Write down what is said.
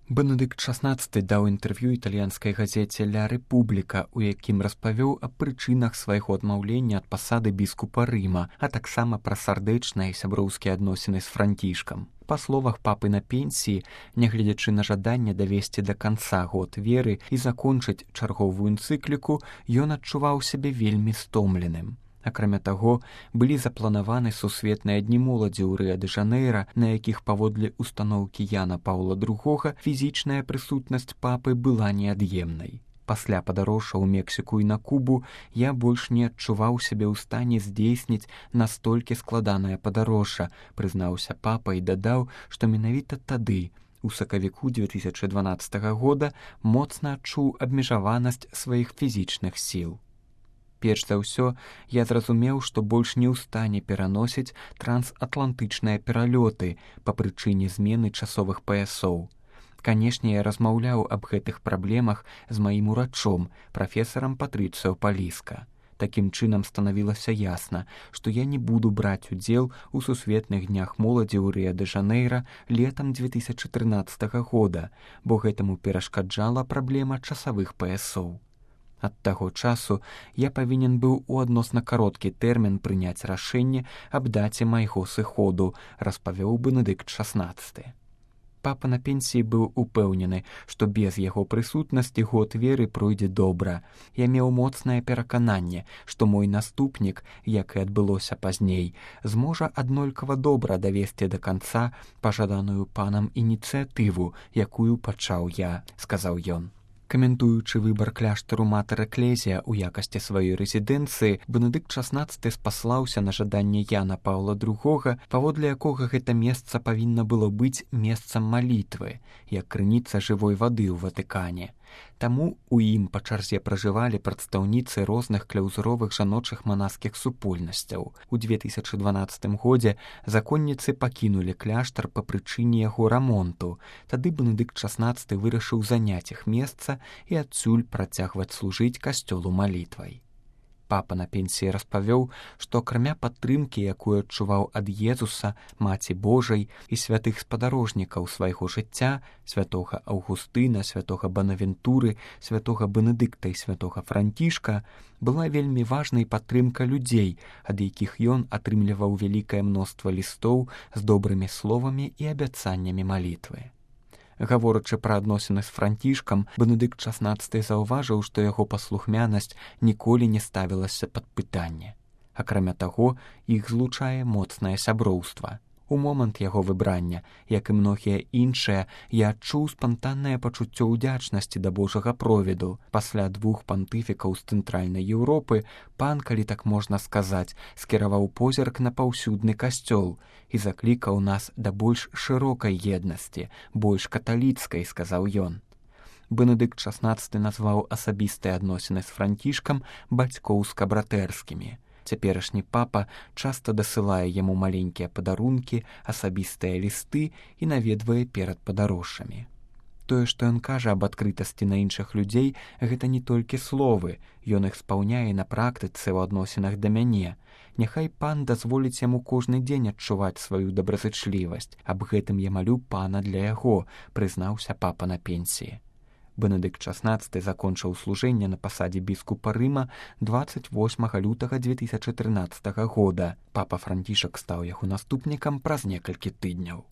Бенедыкт XVI даў інтэрв'ю італьянскай газеце «Ля Рэпубліка», у якім распавёў аб прычынах свайго адмаўлення ад пасады біскупа Рыма, а таксама пра сардэчныя і сяброўскія адносіны з Францішкам. Па словах папы на пенсіі, нягледзячы на жаданне давесці да канца год веры і закончыць чарговую энцыкліку, ён адчуваў сябе вельмі стомленым. Акрамя таго, былі запланаваны сусветныя дні моладзі ў Рыа-дэ-Жанэйра, на якіх паводле устаноўкі Яна Паўла II фізічная прысутнасць папы была неад'емнай. Пасля падарожжа ў Мексіку і на Кубу я больш не адчуваў сябе ў стане здзейсніць настолькі складанае падарожжа, прызнаўся папа і дадаў, што менавіта тады, у сакавіку 2012 года, моцна адчуў абмежаванасць сваіх фізічных сіл. Перш за ўсё, я зразумеў, што больш не ў стане пераносіць трансатлантычныя пералёты па прычыне змены часовых паясоў. Канешне, я размаўляў аб гэтых праблемах з маім урачом, прафесарам Патрыцыо Паліска. Такім чынам станавілася ясна, што я не буду браць удзел у сусветных днях моладзі ў Рыа-дэ-Жанэйра летам 2013 года, бо гэтаму перашкаджала праблема часавых паясоў. Ад таго часу я павінен быў у адносна кароткі тэрмін прыняць рашэнне аб даце майго сыходу, распавёў Бенедыкт XVI. Папа на пенсіі быў упэўнены, што без яго прысутнасці год веры пройдзе добра. Я меў моцнае перакананне, што мой наступнік, як і адбылося пазней, зможа аднолькава добра давесці да канца пажаданую панам ініцыятыву, якую пачаў я, сказаў ён. Каментуючы выбар кляштару Матэр-Эклезія ў якасці сваёй рэзідэнцыі, Бенедыкт XVI спаслаўся на жаданне Яна Паўла II, паводле якога гэта месца павінна было быць месцам малітвы, як крыніца жывой вады ў Ватыкане. Таму у ім па чарзе пражывалі прадстаўніцы розных кляўзуровых жаночых манаскіх супольнасцяў. У 2012 годзе законніцы пакінулі кляштар па прычыне яго рамонту. Тады Бенедыкт XVI вырашыў заняць іх месца і адсюль працягваць служыць касцёлу малітвай. Папа на пенсіі распавёў, што акрамя падтрымкі, якую адчуваў ад Езуса, Маці Божай і святых спадарожнікаў свайго жыцця, святога Аўгустына, святога Банавентуры, святога Бенедыкта і святога Францішка, была вельмі важнай падтрымка людзей, ад якіх ён атрымліваў вялікае мноства лістоў з добрымі словамі і абяцаннямі малітвы. Гаворачы пра адносіны з Францішкам, Бенедыкт XVI заўважыў, што яго паслухмянасць ніколі не ставілася пад пытанне. Акрамя таго, іх злучае моцнае сяброўства. У момант яго выбрання, як і многія іншыя, я адчуў спантаннае пачуццё ўдзячнасці да Божага провіду. Пасля 2 пантыфікаў з цэнтральнай Еўропы пан, калі так можна сказаць, скіраваў позірк на паўсюдны касцёл і заклікаў нас да больш шырокай еднасці, больш каталіцкай, сказаў ён. Бенедыкт XVI назваў асабістыя адносіны з Францішкам бацькоўска-братэрскімі. Цяперашні папа часта дасылае яму маленькія падарункі, асабістыя лісты і наведвае перад падарожжамі. Тое, што ён кажа аб адкрытасці на іншых людзей, гэта не толькі словы, ён іх спаўняе на практыцы ў адносінах да мяне. Няхай пан дазволіць яму кожны дзень адчуваць сваю добразычлівасць. Аб гэтым я малю пана для яго, прызнаўся папа на пенсіі. Бенедыкт XVI закончыў служэнне на пасадзе біскупа Рыма 28 лютага 2013 года. Папа Францішак стаў яго наступнікам праз некалькі тыдняў.